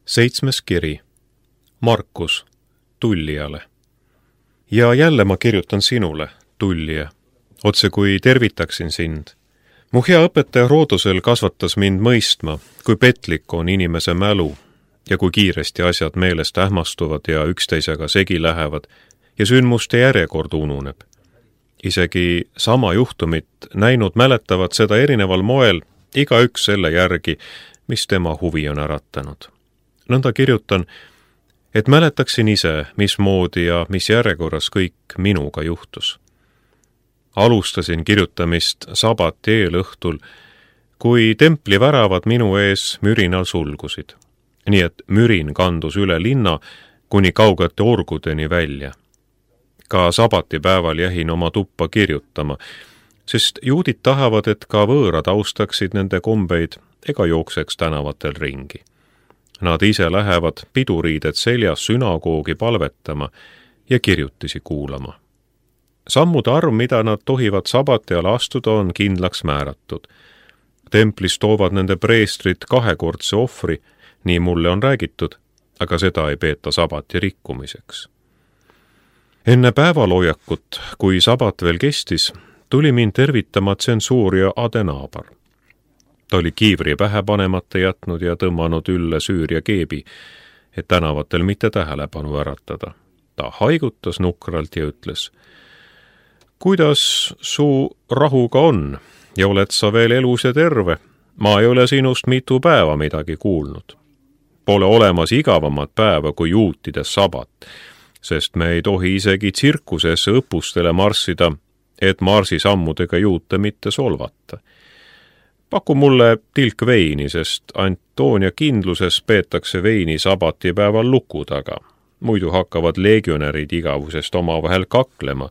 7. kiri. Markus, tullijale. Ja jälle ma kirjutan sinule, tullija, otse kui tervitaksin sind. Mu hea õpetaja Roodusel kasvatas mind mõistma, kui petlik on inimese mälu ja kui kiiresti asjad meelest ähmastuvad ja üksteisega segi lähevad ja sündmuste järjekord ununeb. Isegi sama juhtumit näinud mäletavad seda erineval moel, igaüks selle järgi, mis tema huvi on äratanud. Nõnda kirjutan, et mäletaksin ise, mismoodi ja mis järjekorras kõik minuga juhtus. Alustasin kirjutamist sabati eelõhtul, kui templi väravad minu ees mürinal sulgusid. Nii et mürin kandus üle linna kuni kaugete orgudeni välja. Ka sabatipäeval jähin oma tuppa kirjutama, sest juudid tahavad, et ka võõrad austaksid nende kombeid ega jookseks tänavatel ringi. Nad ise lähevad piduriided seljas sünagoogi palvetama ja kirjutisi kuulama. Sammude arv, mida nad tohivad sabati all astuda, on kindlaks määratud. Templis toovad nende preestrid 2-kordse ohvri, nii mulle on räägitud, aga seda ei peeta sabati rikkumiseks. Enne päevaloojakut, kui sabat veel kestis, tuli mind tervitama tsensuurija Adenaabar. Ta oli kiivri pähe panemata jätnud ja tõmmanud ülle Süüria keebi, et tänavatel mitte tähelepanu äratada. Ta haigutas nukralt ja ütles, kuidas su rahuga on ja oled sa veel elus ja terve? Ma ei ole sinust mitu päeva midagi kuulnud. Pole olemas igavamat päeva kui juutide sabat, sest me ei tohi isegi tsirkusesse õppustele marssida, et marsisammudega juute mitte solvata. Paku mulle tilk veini, sest Antoonia kindluses peetakse veini sabatipäeval luku taga. Muidu hakkavad legionärid igavusest omavahel kaklema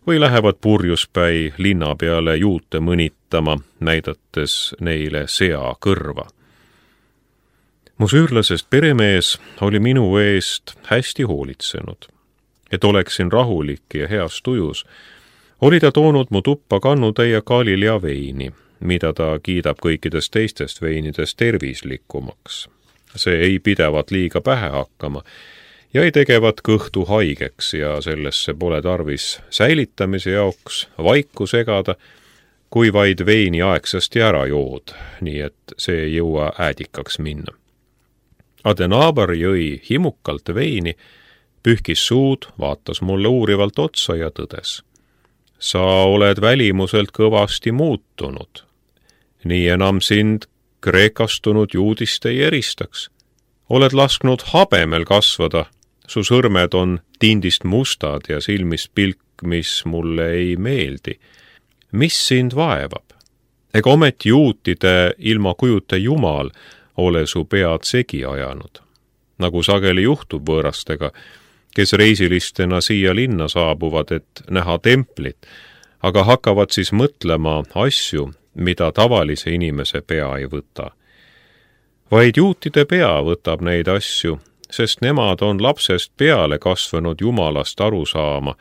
või lähevad purjuspäi linna peale juute mõnitama, näidates neile sea kõrva. Mu süürlasest peremees oli minu eest hästi hoolitsenud. Et oleksin rahulik ja heas tujus, oli ta toonud mu tuppa kannutäie Galilea veini, mida ta kiidab kõikidest teistest veinidest tervislikumaks. See ei pidevat liiga pähe hakkama ja ei tegevat kõhtu haigeks ja sellesse pole tarvis säilitamise jaoks vaiku segada, kui vaid veini aegsasti ära jood, nii et see ei jõua äädikaks minna. Adenaabar jõi himukalt veini, pühkis suud, vaatas mulle uurivalt otsa ja tõdes. Sa oled välimuselt kõvasti muutunud. Nii enam sind kreekastunud juudist ei eristaks. Oled lasknud habemel kasvada, su sõrmed on tindist mustad ja silmis pilk, mis mulle ei meeldi. Mis sind vaevab? Ega ometi juutide ilma kujuta Jumal ole su pead segi ajanud. Nagu sageli juhtub võõrastega, kes reisilistena siia linna saabuvad, et näha templit, aga hakkavad siis mõtlema asju, mida tavalise inimese pea ei võta. Vaid juutide pea võtab neid asju, sest nemad on lapsest peale kasvanud Jumalast aru saama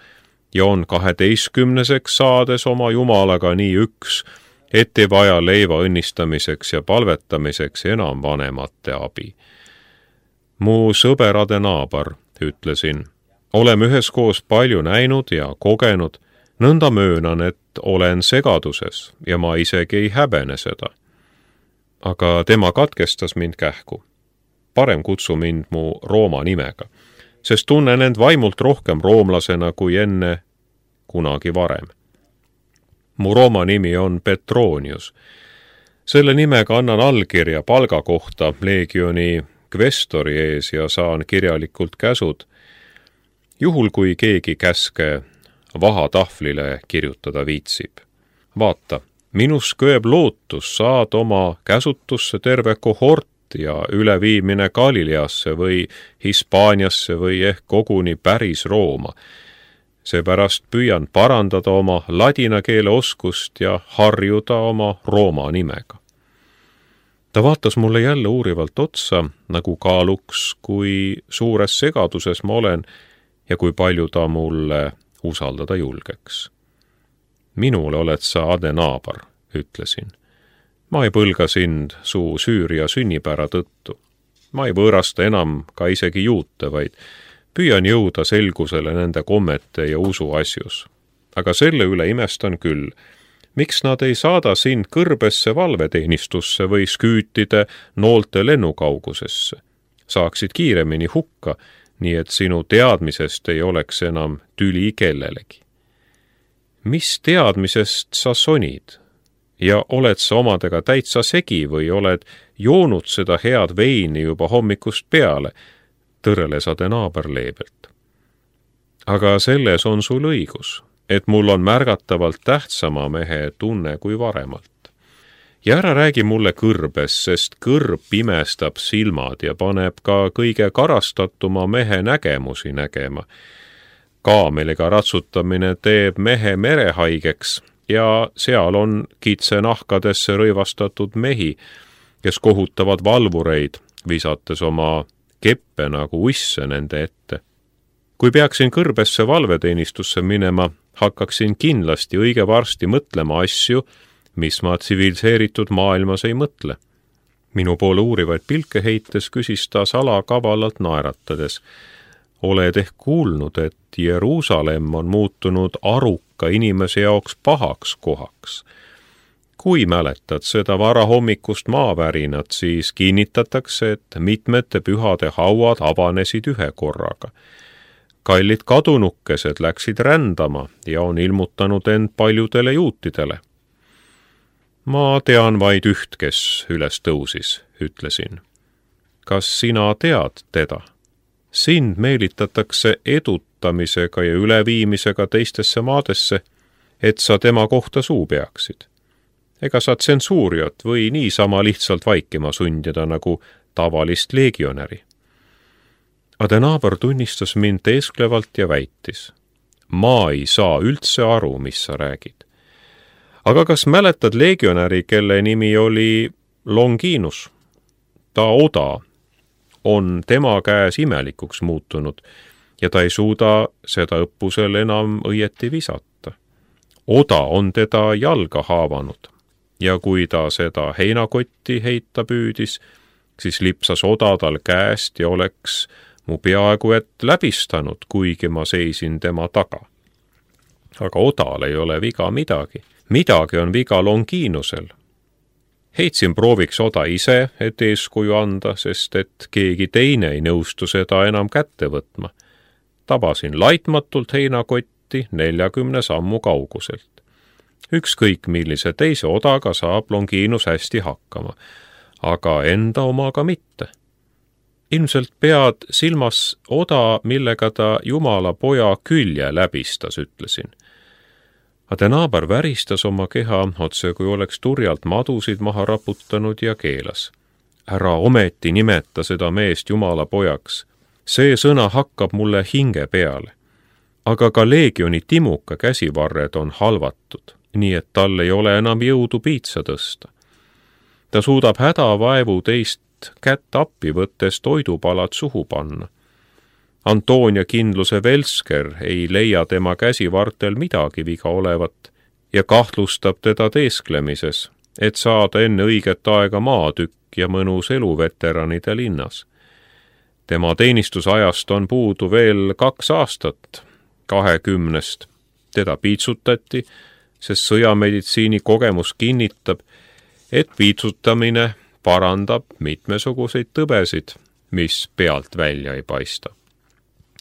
ja on 12-seks saades oma Jumalaga nii üks, et ei vaja leiva õnnistamiseks ja palvetamiseks enam vanemate abi. Mu sõber Adenaabar, ütlesin, oleme üheskoos palju näinud ja kogenud, nõnda möönan, et olen segaduses ja ma isegi ei häbene seda. Aga tema katkestas mind kähku. Parem kutsu mind mu Rooma nimega, sest tunnen end vaimult rohkem roomlasena kui enne kunagi varem. Mu Rooma nimi on Petronius. Selle nimega annan allkirja palga kohta leegioni kvestori ees ja saan kirjalikult käsud, juhul kui keegi käske vahatahvlile kirjutada viitsib. Vaata, minus kööb lootus saad oma käsutusse terve kohort ja üleviimine Galileasse või Hispaaniasse või ehk koguni päris Rooma. Seepärast püüan parandada oma ladina keele oskust ja harjuda oma Rooma nimega. Ta vaatas mulle jälle uurivalt otsa, nagu kaaluks, kui suures segaduses ma olen ja kui palju ta mulle usaldada julgeks. Minule oled sa Adenaabar, ütlesin. Ma ei põlga sind su Süüria sünnipära tõttu. Ma ei võõrasta enam ka isegi juute, vaid püüan jõuda selgusele nende kommete ja usu asjus. Aga selle üle imestan küll, miks nad ei saada sind kõrbesse valveteenistusse või sküütide noolte lennukaugusesse. Saaksid kiiremini hukka, nii et sinu teadmisest ei oleks enam tüli kellelegi. Mis teadmisest sa sonid? Ja oled sa omadega täitsa segi või oled joonud seda head veini juba hommikust peale, tõrles Adenaaber leebelt. Aga selles on sul õigus, et mul on märgatavalt tähtsama mehe tunne kui varemalt. Ja ära räägi mulle kõrbes, sest kõrb pimestab silmad ja paneb ka kõige karastatuma mehe nägemusi nägema. Kaameliga ratsutamine teeb mehe merehaigeks ja seal on kitsenahkadesse rõivastatud mehi, kes kohutavad valvureid, visates oma keppe nagu uisse nende ette. Kui peaksin kõrbesse valveteenistusse minema, hakkaksin kindlasti õige varsti mõtlema asju, mis ma tsiviliseeritud maailmas ei mõtle. Minu poole uurivaid pilke heites küsis ta salakavalalt naeratades. Oled ehk kuulnud, et Jeruusalemm on muutunud aruka inimese jaoks pahaks kohaks. Kui mäletad seda varahommikust maavärinat, siis kinnitatakse, et mitmete pühade hauad avanesid ühe korraga. Kallid kadunukesed läksid rändama ja on ilmutanud end paljudele juutidele. Ma tean vaid üht, kes üles tõusis, ütlesin. Kas sina tead teda? Sind meelitatakse edutamisega ja üleviimisega teistesse maadesse, et sa tema kohta suu peaksid. Ega sa tsensuuriot või niisama lihtsalt vaikima sundida nagu tavalist legionäri. Adenaaber tunnistas mind teesklevalt ja väitis. Ma ei saa üldse aru, mis sa räägid. Aga kas mäletad legionäri, kelle nimi oli Longinus? Ta oda on tema käes imelikuks muutunud ja ta ei suuda seda õppusel enam õieti visata. Oda on teda jalga haavanud ja kui ta seda heinakotti heita püüdis, siis lipsas oda tal käest ja oleks mu peaaegu et läbistanud, kuigi ma seisin tema taga. Aga odal ei ole viga midagi. Midagi on viga Longinusel. Heitsin prooviks oda ise, et eeskuju anda, sest et keegi teine ei nõustu seda enam kätte võtma. Tabasin laitmatult heinakotti 40 sammu kauguselt. Ükskõik millise teise odaga saab Longinus hästi hakkama, aga enda omaga mitte. Ilmselt pead silmas oda, millega ta Jumala poja külje läbistas, ütlesin. Adenaaber väristas oma keha otse, kui oleks turjalt madusid maha raputanud ja keelas. Ära ometi nimeta seda meest Jumala pojaks. See sõna hakkab mulle hinge peale. Aga ka leegioni timuka käsivarred on halvatud, nii et tal ei ole enam jõudu piitsa tõsta. Ta suudab hädavaevu teist kätt appi võttes toidupalad suhu panna. Antonia kindluse Velsker ei leia tema käsivartel midagi viga olevat ja kahtlustab teda teesklemises, et saada enne õiget aega maatükk ja mõnus eluveteranide linnas. Tema teenistusajast on puudu veel 2 aastat, 20. Teda piitsutati, sest sõjameditsiini kogemus kinnitab, et piitsutamine parandab mitmesuguseid tõbesid, mis pealt välja ei paista.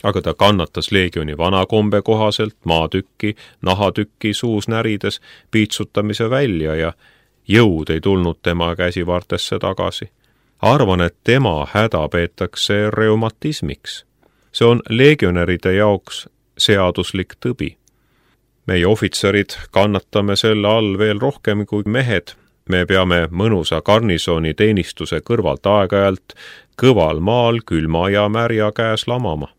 Aga ta kannatas leegioni vanakombe kohaselt maatükki, nahatükki suus närides piitsutamise välja ja jõud ei tulnud tema käsivartesse tagasi. Arvan, et tema häda peetakse reumatismiks. See on legionäride jaoks seaduslik tõbi. Meie ohvitserid kannatame selle all veel rohkem kui mehed. Me peame mõnusa garnisoni teenistuse kõrvalt aeg-ajalt kõval maal külma ja märja käes lamama.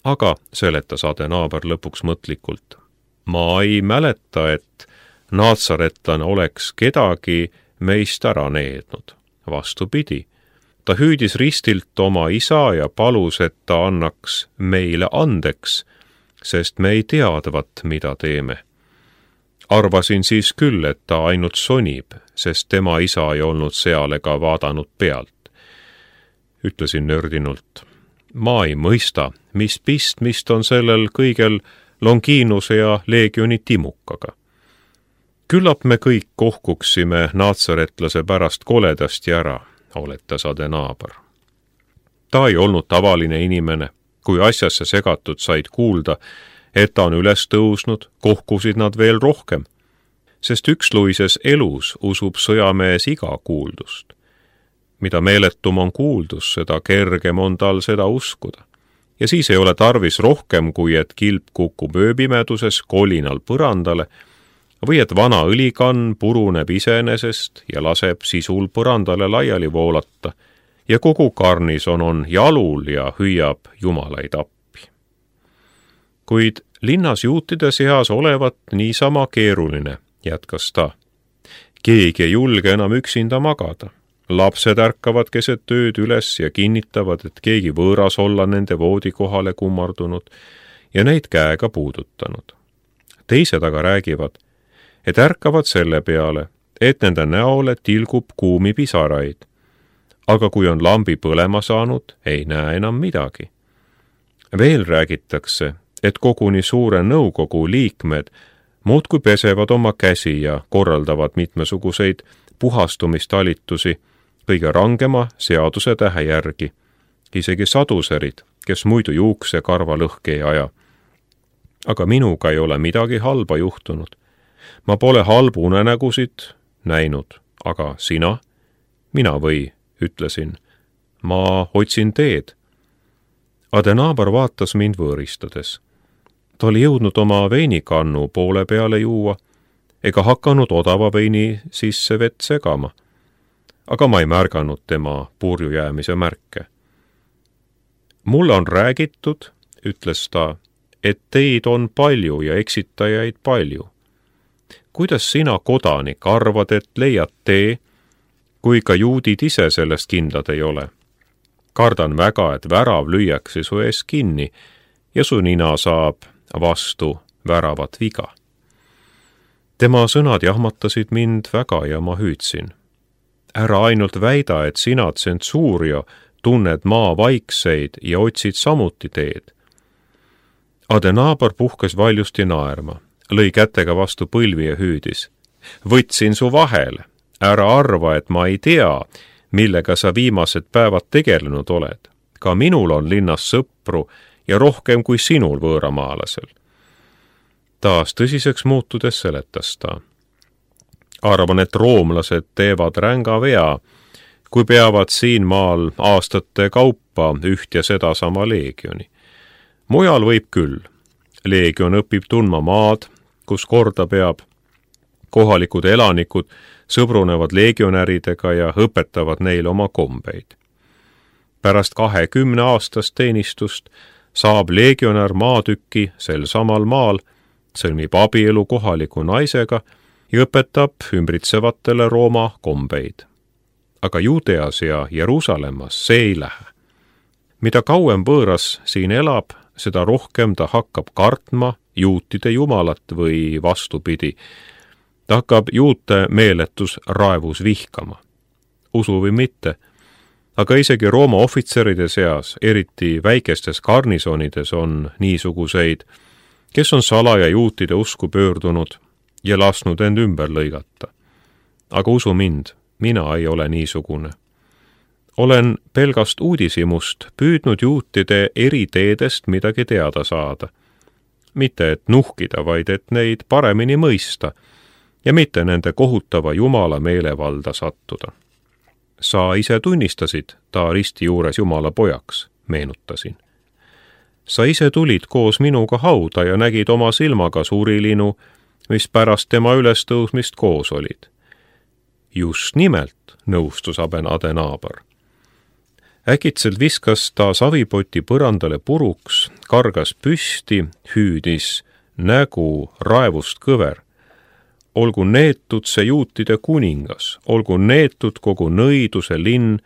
Aga, seletas Adenaaber lõpuks mõtlikult, ma ei mäleta, et naatsaretlane oleks kedagi meist ära neednud. Vastupidi, ta hüüdis ristilt oma isa ja palus, et ta annaks meile andeks, sest me ei teadvat, mida teeme. Arvasin siis küll, et ta ainult sonib, sest tema isa ei olnud seal ega vaadanud pealt. ütlesin nördinult. Ma ei mõista, mis pistmist on sellel kõigel Longinuse ja Leegioni timukaga. Küllap me kõik kohkuksime naatsaretlase pärast koledasti ära, oletas Adenaaber. Ta ei olnud tavaline inimene. Kui asjasse segatud said kuulda, et ta on üles tõusnud, kohkusid nad veel rohkem, sest üksluises elus usub sõjamees iga kuuldust. Mida meeletum on kuuldus, seda kergem on tal seda uskuda. Ja siis ei ole tarvis rohkem, kui et kilp kukub ööpimeduses kolinal põrandale või et vana õlikann puruneb iseenesest ja laseb sisul põrandale laiali voolata ja kogu garnison on jalul ja hüüab jumalaid appi. Kuid linnas juutide seas olevat niisama keeruline, jätkas ta. Keegi ei julge enam üksinda magada. Lapsed ärkavad keset ööd üles ja kinnitavad, et keegi võõras olla nende voodikohale kummardunud ja neid käega puudutanud. Teised aga räägivad, et ärkavad selle peale, et nende näole tilgub kuumi pisaraid. Aga kui on lambi põlema saanud, ei näe enam midagi. Veel räägitakse, et koguni suure nõukogu liikmed muudkui pesevad oma käsi ja korraldavad mitmesuguseid puhastumistalitusi kõige rangema seaduse tähe järgi, isegi saduserid, kes muidu juukse karva lõhki ei aja. Aga minuga ei ole midagi halba juhtunud. Ma pole halbu unenägusid näinud, aga sina? Mina või, ütlesin. Ma otsin teed. Adenaaber vaatas mind võõristades. Ta oli jõudnud oma veinikannu poole peale juua ega hakanud odava veini sisse vett segama. Aga ma ei märganud tema purju jäämise märke. Mulle on räägitud, ütles ta, et teid on palju ja eksitajaid palju. Kuidas sina, kodanik, arvad, et leiad tee, kui ka juudid ise sellest kindlad ei ole? Kardan väga, et värav lüüakse su ees kinni ja su nina saab vastu väravat viga. Tema sõnad jahmatasid mind väga ja ma hüüdsin. Ära ainult väida, et sina, tsensuuria, tunned maa vaikseid ja otsid samuti teed. Adenaaber puhkes valjusti naerma, lõi kätega vastu põlvi ja hüüdis. Võtsin su vahele, ära arva, et ma ei tea, millega sa viimased päevad tegelenud oled. Ka minul on linnas sõpru ja rohkem kui sinul võõramaalasel. Taas tõsiseks muutudes seletas ta. Arvan, et roomlased teevad ränga vea, kui peavad siin maal aastate kaupa üht ja sedasama leegioni. Mujal võib küll. Leegion õpib tundma maad, kus korda peab. Kohalikud elanikud sõbrunevad leegionäridega ja õpetavad neile oma kombeid. Pärast 20 aastast teenistust saab leegionär maatüki sel samal maal, sõlmib abielu kohaliku naisega ja õpetab ümbritsevatele Rooma kombeid. Aga Juudeas ja Jeruusalemmas see ei lähe. Mida kauem võõras siin elab, seda rohkem ta hakkab kartma juutide jumalat või vastupidi. Ta hakkab juute meeletus raevus vihkama. Usu või mitte, aga isegi Rooma ohvitseride seas, eriti väikestes garnisonides on niisuguseid, kes on salaja juutide usku pöördunud ja lasknud end ümber lõigata. Aga usu mind, mina ei ole niisugune. Olen pelgast uudishimust püüdnud juutide eri teedest midagi teada saada. Mitte et nuhkida, vaid et neid paremini mõista ja mitte nende kohutava jumala meelevalda sattuda. Sa ise tunnistasid ta risti juures jumala pojaks, meenutasin. Sa ise tulid koos minuga hauda ja nägid oma silmaga suurilinu, mis pärast tema ülestõusmist koos olid. Just nimelt, nõustus Adenaaber. Äkitselt viskas ta savipoti põrandale puruks, kargas püsti, hüüdis, nägu raevust kõver. Olgu neetud see juutide kuningas, olgu neetud kogu nõiduse linn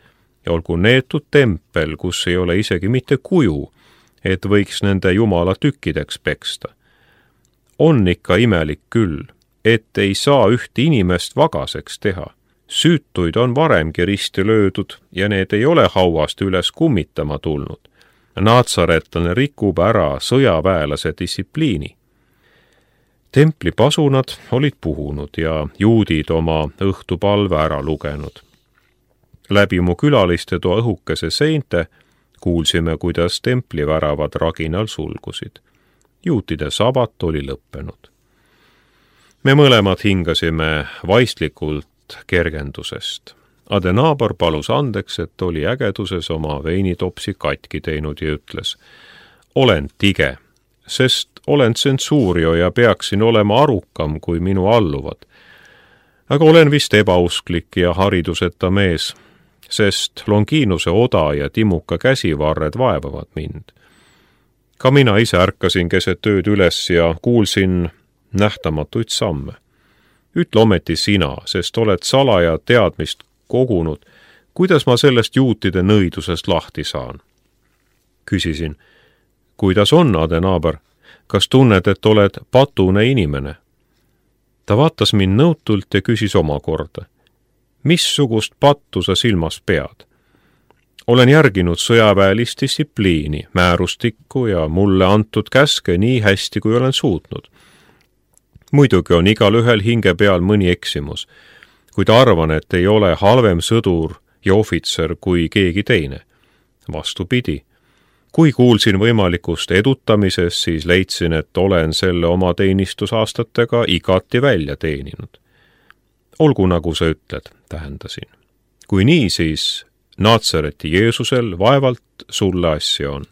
ja olgu neetud tempel, kus ei ole isegi mitte kuju, et võiks nende jumala tükkideks peksta. On ikka imelik küll, et ei saa üht inimest vagaseks teha. Süütuid on varemgi risti löödud ja need ei ole hauast üles kummitama tulnud. Natsaretlane rikub ära sõjaväelase distsipliini. Templi pasunad olid puhunud ja juudid oma õhtupalve ära lugenud. Läbi mu külaliste toa õhukese seinte kuulsime, kuidas templiväravad raginal sulgusid. Juutide sabat oli lõppenud. Me mõlemad hingasime vaistlikult kergendusest. Adenaaber palus andeks, et oli ägeduses oma veinitopsi katki teinud ja ütles: olen tige, sest olen tsensuurio ja peaksin olema arukam kui minu alluvad. Aga olen vist ebausklik ja hariduseta mees, sest Longinuse oda ja timuka käsivarred vaevavad mind. Ka mina ise ärkasin keset ööd üles ja kuulsin nähtamatuid samme. Ütle ometi sina, sest oled salaja teadmist kogunud, kuidas ma sellest juutide nõidusest lahti saan. Küsisin: kuidas on, Adenaaber, kas tunned, et oled patune inimene? Ta vaatas mind nõutult ja küsis omakorda: missugust pattu sa silmas pead? Olen järginud sõjaväelist distsipliini, määrustikku ja mulle antud käske nii hästi, kui olen suutnud. Muidugi on igal ühel hinge peal mõni eksimus, kuid arvan, et ei ole halvem sõdur ja ohvitser kui keegi teine. Vastupidi, kui kuulsin võimalikust edutamisest, siis leidsin, et olen selle oma teenistusaastatega igati välja teeninud. Olgu, nagu sa ütled, tähendasin. Kui nii, siis Natsareti Jeesusel vaevalt sulle asja on.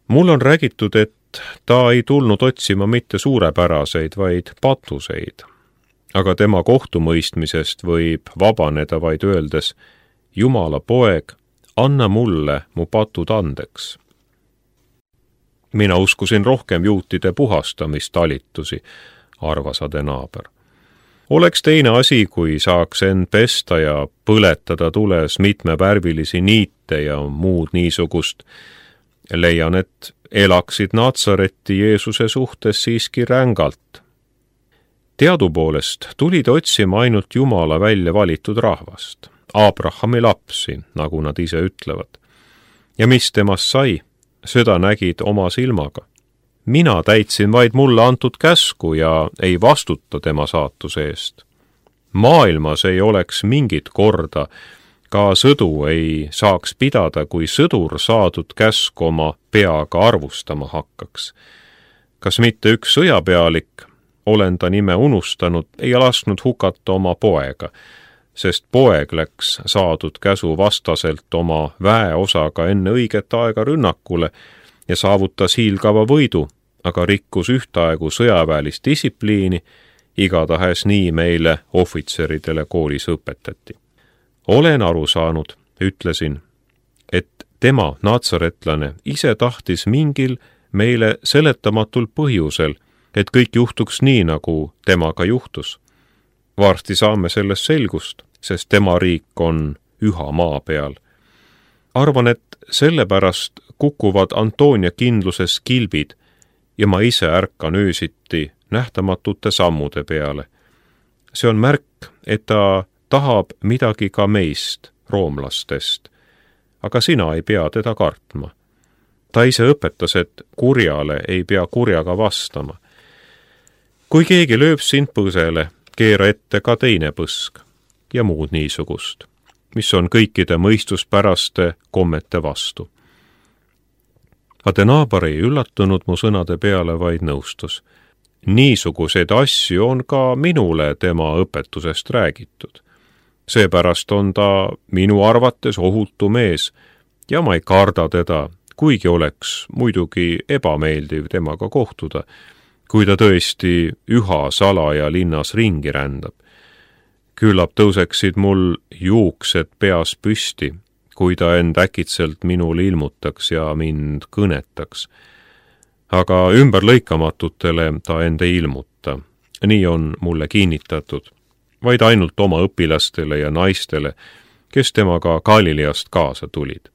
Mul on räägitud, et ta ei tulnud otsima mitte suurepäraseid, vaid patuseid. Aga tema kohtumõistmisest võib vabaneda vaid öeldes: Jumala poeg, anna mulle mu patud andeks. Mina uskusin rohkem juutide puhastamistalitusi, arvas Adenaaber. Oleks teine asi, kui saaks end pesta ja põletada tules mitmevärvilisi niite ja muud niisugust. Leian, et elaksid Natsareti Jeesuse suhtes siiski rängalt. Teadupoolest tulid otsima ainult Jumala välja valitud rahvast, Abrahami lapsi, nagu nad ise ütlevad. Ja mis temast sai, seda nägid oma silmaga. Mina täitsin vaid mulle antud käsku ja ei vastuta tema saatuse eest. Maailmas ei oleks mingit korda, ka sõdu ei saaks pidada, kui sõdur saadud käsk oma peaga arvustama hakkaks. Kas mitte üks sõjapealik, olen ta nime unustanud, ei lasknud hukata oma poega, sest poeg läks saadud käsu vastaselt oma väeosaga enne õiget aega rünnakule ja saavutas hiilgava võidu, aga rikkus ühtaegu sõjaväelist distsipliini, igatahes nii meile ohvitseridele koolis õpetati. Olen aru saanud, ütlesin, et tema, natsaretlane, ise tahtis mingil meile seletamatul põhjusel, et kõik juhtuks nii, nagu temaga juhtus. Varsti saame sellest selgust, sest tema riik on üha maa peal. Arvan, et sellepärast kukuvad Antonia kindluses kilbid ja ma ise ärkan öösiti nähtamatute sammude peale. See on märk, et ta tahab midagi ka meist, roomlastest, aga sina ei pea teda kartma. Ta ise õpetas, et kurjale ei pea kurjaga vastama. Kui keegi lööb sind põsele, keera ette ka teine põsk ja muud niisugust, mis on kõikide mõistuspäraste kommete vastu. Adenaaber ei üllatunud mu sõnade peale, vaid nõustus. Niisuguseid asju on ka minule tema õpetusest räägitud. Seepärast on ta minu arvates ohutu mees ja ma ei karda teda, kuigi oleks muidugi ebameeldiv temaga kohtuda, kui ta tõesti üha salaja linnas ringi rändab. Küllap tõuseksid mul juuksed peas püsti, kui ta end äkitselt minule ilmutaks ja mind kõnetaks. Aga ümberlõikamatutele ta end ei ilmuta. Nii on mulle kinnitatud, vaid ainult oma õpilastele ja naistele, kes temaga Galileast kaasa tulid.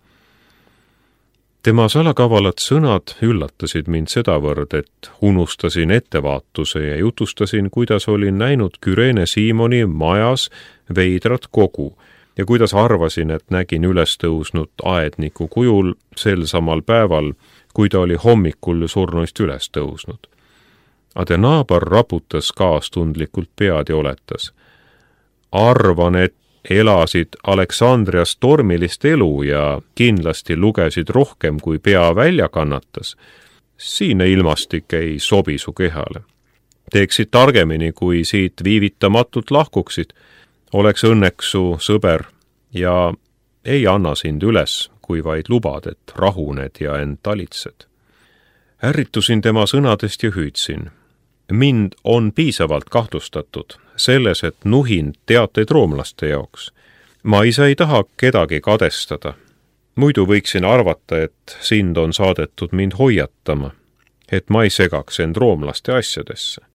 Tema salakavalad sõnad üllatasid mind sedavõrd, et unustasin ettevaatuse ja jutustasin, kuidas olin näinud Kürene Siimoni majas veidrat kogu ja kuidas arvasin, et nägin üles tõusnud aedniku kujul sel samal päeval, kui ta oli hommikul surnuist üles tõusnud. Adenaabar raputas kaastundlikult pead ja oletas. Arvan, et elasid Aleksandrias tormilist elu ja kindlasti lugesid rohkem, kui pea välja kannatas. Siine ilmastik ei sobi su kehale. Teeksid targemini, kui siit viivitamatult lahkuksid. Oleks õnneks su sõber ja ei anna sind üles, kui vaid lubad, et rahuned ja end talitsed. Ärritusin tema sõnadest ja hüüdsin. Mind on piisavalt kahtlustatud selles, et nuhin teateid roomlaste jaoks. Ma ise ei taha kedagi kadestada. Muidu võiksin arvata, et sind on saadetud mind hoiatama, et ma ei segaks end roomlaste asjadesse.